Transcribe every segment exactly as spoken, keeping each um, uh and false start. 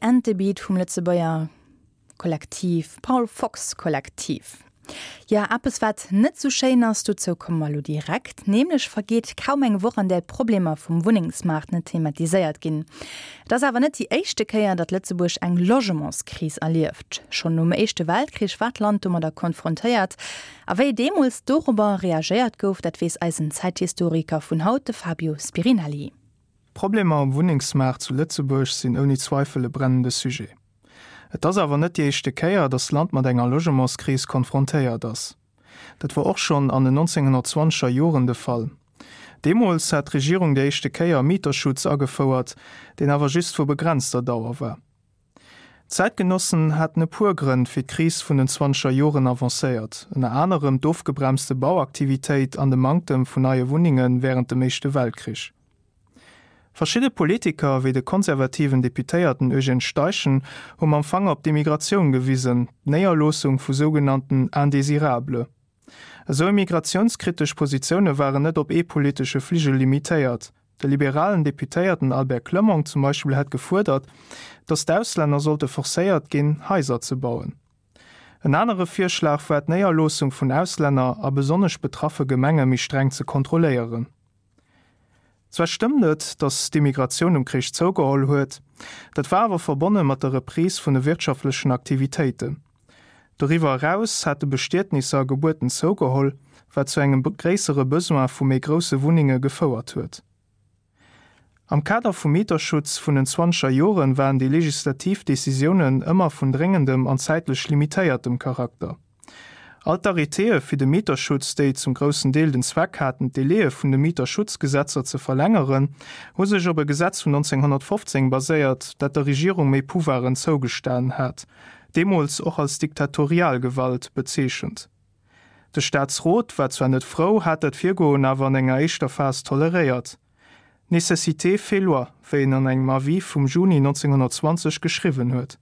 and the Beat vum Lëtzebuerger Kollektiv Paul Fox Kollektiv. Ja, eppes wat net sou schéin ass, dozou komme mer lo direkt, nämlech vergeet kaum eng Woch an där d'Problemer vum Wunnengsmaart net thematiséiert ginn. Et ass awer net déi éischte Kéier, datt Lëtzebuerg eng Logementskris erlieft. Schonn nom Éischte Weltkrich war d'Land domadder konfrontéiert. A wéi deemools dorobber reagéiert gouf, dat weess eisen Zäithistoriker vun haut, de Fabio Spirinelli. D'Problemer um Wunnengsmaart zu Lëtzebuerg sinn ouni Zweifel e brennende Sujet. Et ass awer net déi éischte Kéier, datt d'Land mat enger Logementskris konfrontéiert ass. Dat war och schonn an den nonzénghonnertzwanzeger Joren de Fall. Deemools hat d'Regierung déi éischte Kéier Mieterschutz agefouert, deen awer just vu begrenzter Dauer war. D'Zäitgenossen haten e puer Grënn fir d'Kris vun den zwanzeger Joren avancéiert, ënner anerem d'ofgebremste Bauaktivitéit an de Manktem vun neie Wunnenge wärend dem Éischte Weltkrich. Verschidde Politiker, wéi de konservativen Deputéierten Eugène Steichen, hu mam Fanger op d'Immigratioun gewisen, d'Néierloossung vu sougenannten Indésirables. Esou immigratiounskritesch Positioune waren net op ee politesche Fligel limitéiert. De liberalen Deputéierten Albert Clement zum Beispill hätt gefuerdert, datt d'Auslänner sollte forcéiert ginn, Haiser ze bauen. En anere Virschlag war, d'Néierloossung vun Auslänner a besonnesch betraffe Gemenge méi streng ze kontrolléieren. Zwar stëmmt et, datt d'Immigratioun nom Krich zougeholl huet, dat war awer verbonne mat der Reprise vun de wirtschaftlechen Aktivitéiten. Doriwwer eraus hate Bestietnisser a Gebuerten zougeholl, wat zu engem gréissere Besoin vu méi grousse Wunnenge gefouert huet. Am Kader vum Mieterschutz vun den zwanzeger Joren waren déi legislativ Decisiounen ëmmer vun dréngendem an zäitlech limitéiertem Charakter. All d'Arrêtéë fir de Mieterschutz, déi zum groussen Deel den Zweck haten, d'Délaië vun de Mieterschutzgesetzer ze verlängeren, hu sech op e Gesetz vun nonzénghonnertfofzéng baséiert, dat der Regierung méi Pouvoiren zougestanen hat, deemools och als Diktatorialgewalt bezeechent. De Staatsrot war zwar net frou, hat dat Virgoen awer an enger éischter Phas toleréiert. Nécessité fait loi, wéi en an engem Avis vum Juni nonzénghonnertzwanzeg geschriwwen huet.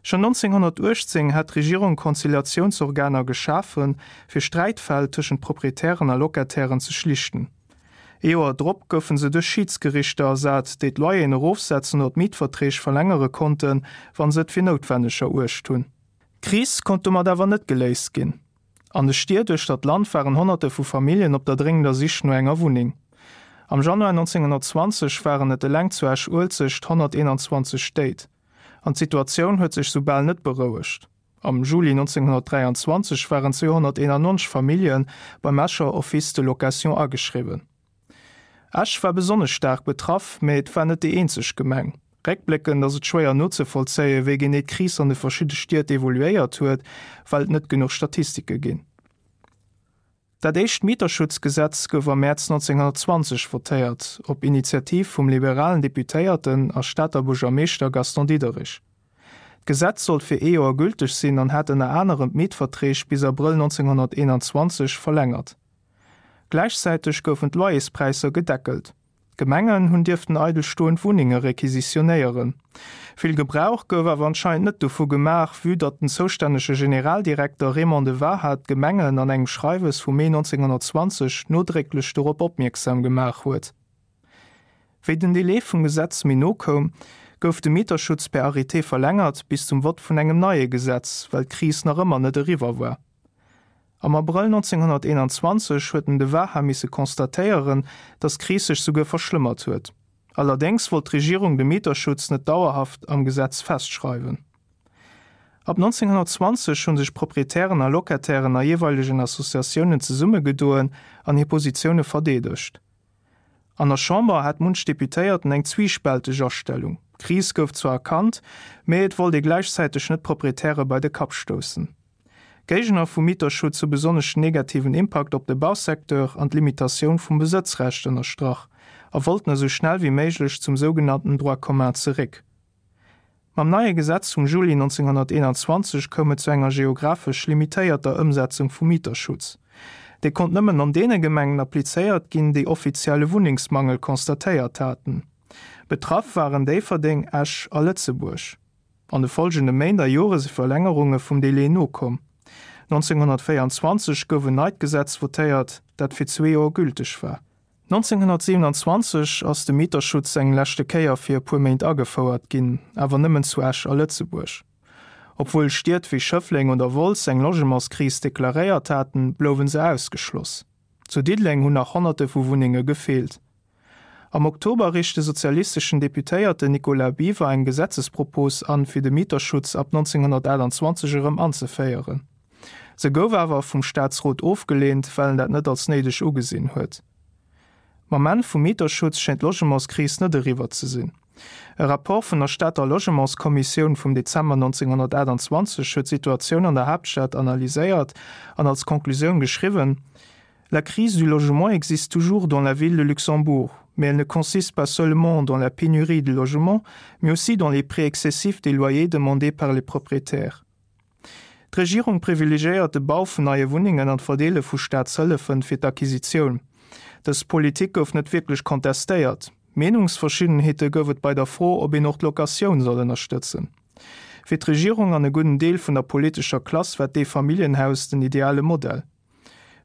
Schonn nonzénghonnertuechtzéng hat d'Regierung Konziliatiounsorganer geschafen, fir Sträitfäll tëschent Proprietären a Locatairen ze schlichten. Ee Joer drop goufe se duerch Schiidsgerichter ersat, déi d'Loyeren erofsetzen oder d'Mietverträg verlängere konnten, wa se et fir noutwenneg eruecht hunn. D'Kris konnt domat awer net geléist ginn. An de Stied uechter d'Land waren Honnerte vu Familljen op der dréngender Sich no enger Wunneng. Am Januar nonzénghonnertzwanzeg waren et eleng zu Esch-Uelzecht honnerteenanzwanzeg Stéit. An d'Situatioun huet sech soubal net berouegt. Am Juli nonzénghonnertdräianzwanzeg waren zweehonnerteenannonzeg Famillje beim Escher Office de location ageschriwwen. Esch war besonnesch staark betraff, mee et war net déi eenzeg Gemeng. Réckbléckend ass et schwéier nozevollzéien, wéi genee d'Kris an de verschidde Stied evoluéiert huet, well et net genuch Statistike ginn. Dat éischt Mieterschutzgesetz gouf am Mäerz nonzénghonnertzwanzeg votéiert, op Initiativ vum liberalen Deputéierten a Stater Buergermeeschter Gaston Diderich. D'Gesetz sollt fir ee Joer gülteg sinn an hat ënner anerem d'Mietverträg bis Abrëll nonzénghonnerteenanzwanzeg verlängert. Gläichzäiteg goufen d'Loyerspräisser gedeckelt. D'Gemengen hunn dierften eidel stoend Wunnenge requisitionéieren. Vill Gebrauch gouf awer anscheinend net dovu gemaach, vue datt den zoustännege Generaldirekter Raymond de Waha d'Gemengen an engem Schreiwes vum Mee nonzénghonnertzwanzeg nodrécklech dorop opmierksam gemaach huet. Wéi den Delai vum Gesetz méi no koum, gouf de Mieterschutz per Arrêté verlängert bis zum Vott vun engem neie Gesetz, well d'Kris nach ëmmer net eriwwer war. Am Abrëll nonzénghonnerteenanzwanzeg huet den de Waha misse constatéieren, datt d'Kris sech souguer verschlëmmert huet. Allerdéngs wollt d'Regierung de Mieterschutz net dauerhaft am Gesetz festschreiwen. Ab nonzénghonnertzwanzeg hu sech Proprietären a Locatairen a jeeweilegen Associatiounen zesummegedoen an hir Positioune verdeedegt. An der Chamber hat munch Deputéierten eng zwiispälteg Astellung. D'Kris gouf zwar erkannt, mee et wollt ee gläichzäiteg net d'Proprietäre bei de Kapp stoussen. D'Géigner vum Mieterschutz hu besonnesch den negativen Impakt op de Bausecteur an d'Limitatioun vum Besëtzrecht ënnerstrach a wollten esou schnell wéi méiglech zum sougenannten Droit commun zeréck. Mam neie Gesetz vum Juli nonzénghonnerteenanzwanzeg koum et zu enger geographesch limitéierter Ëmsetzung vum Mieterschutz. Dee konnt nëmmen an deene Gemengen applizéiert ginn, déi offiziell e Wunnengsmangel constatéiert haten. Betraff waren Déifferdeng, Esch a Lëtzebuerg. An de folgende Méint a Jore si Verlängerunge vum Delai nokomm. nonzénghonnertvéierundzwanzeg gouf en neit Gesetz votéiert, dat fir zwee Joer gülteg war. neunzehnhundertsiebenundzwanzeg ass de Mieterschutz eng leschte Kéier fir e puer Méint agefouert ginn, awer nëmmen zu Esch a Lëtzebuerg. Obwuel Stied wéi Schëffleng oder Wolz eng Logementskris deklaréiert haten, blouwe se ausgeschloss. Zu Diddeleng hunn nach Honnerte vu Wunnenge gefeelt. Am Oktober reecht de sozialisteschen Deputéierten Nicolas Biver eng Gesetzespropos an, fir de Mieterschutz ab neunzehnhundertachtundzwanzeg erëm anzeféieren. Se gouf awer vum Staatsrot ofgeleent, well en dat net als néideg ugesinn huet. Mam Enn vum Mieterschutz schéngt d'Logementskris net eriwwer ze sinn. E Rapport vun der Stater Logementskommissioun vum Dezember neunzehnhundertachtundzwanzeg huet d'Situatioun an der Haaptstad analyséiert an als Konklusioun geschriwwen, La crise du logement existe toujours dans la ville de Luxembourg, mais elle ne consiste pas seulement dans la pénurie de logements, mais aussi dans les prix excessifs des loyers demandés par les propriétaires. D'Regierung privilegiéiert de Bau vun neie Wunnengen an d'Verdeele vu Staatshëllefen fir d'Acquisitioun. Dës Politik gouf net wierklech kontestéiert. Meenungsverschiddenheete gouf et bei der Fro, ob een och d'Locatioun soll ënnerstëtzen. Fir d'Regierung an e gudden Deel vun der politescher Klass war d'Eefamilljenhaus den ideale Modell.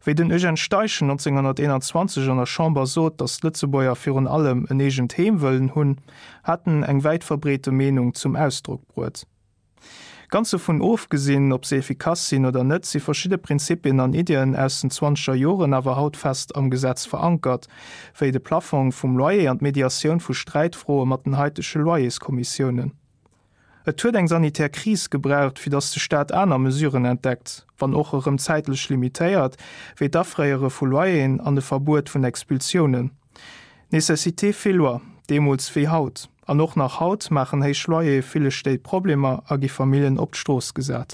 Wéi den Eugène Steichen neunzehnhunderteenanzwanzeg an der Chamber sot, datt d'Lëtzebuerger virun allem en eegent Heem wëllen hunn, hat en eng wäit verbreete Meenung zum Ausdrock bruet. Ganz dovun ofgesinn, ob se effikass sinn oder net, si verschidde Prinzipien an Iddien aus den zwanzeger Joren awer haut fest am Gesetz verankert, wéi de Plaffong vum Loyer an d'Mediatioun vu Sträitfroe mat den haitege Loyerskommissiounen. Et huet eng sanitär Kris gebraucht, fir datt de Staat aner Mesuren entdeckt, wann och erëm zäitlech limitéiert, wéi d'Afréiere vu Loyeren an de Verbuet vun Expulsiounen. Nécessité fait loi, deemools wéi haut. An och nach haut maachen héich Loyere ville Stéit Problemer a gi Familljen op d'Strooss gesat.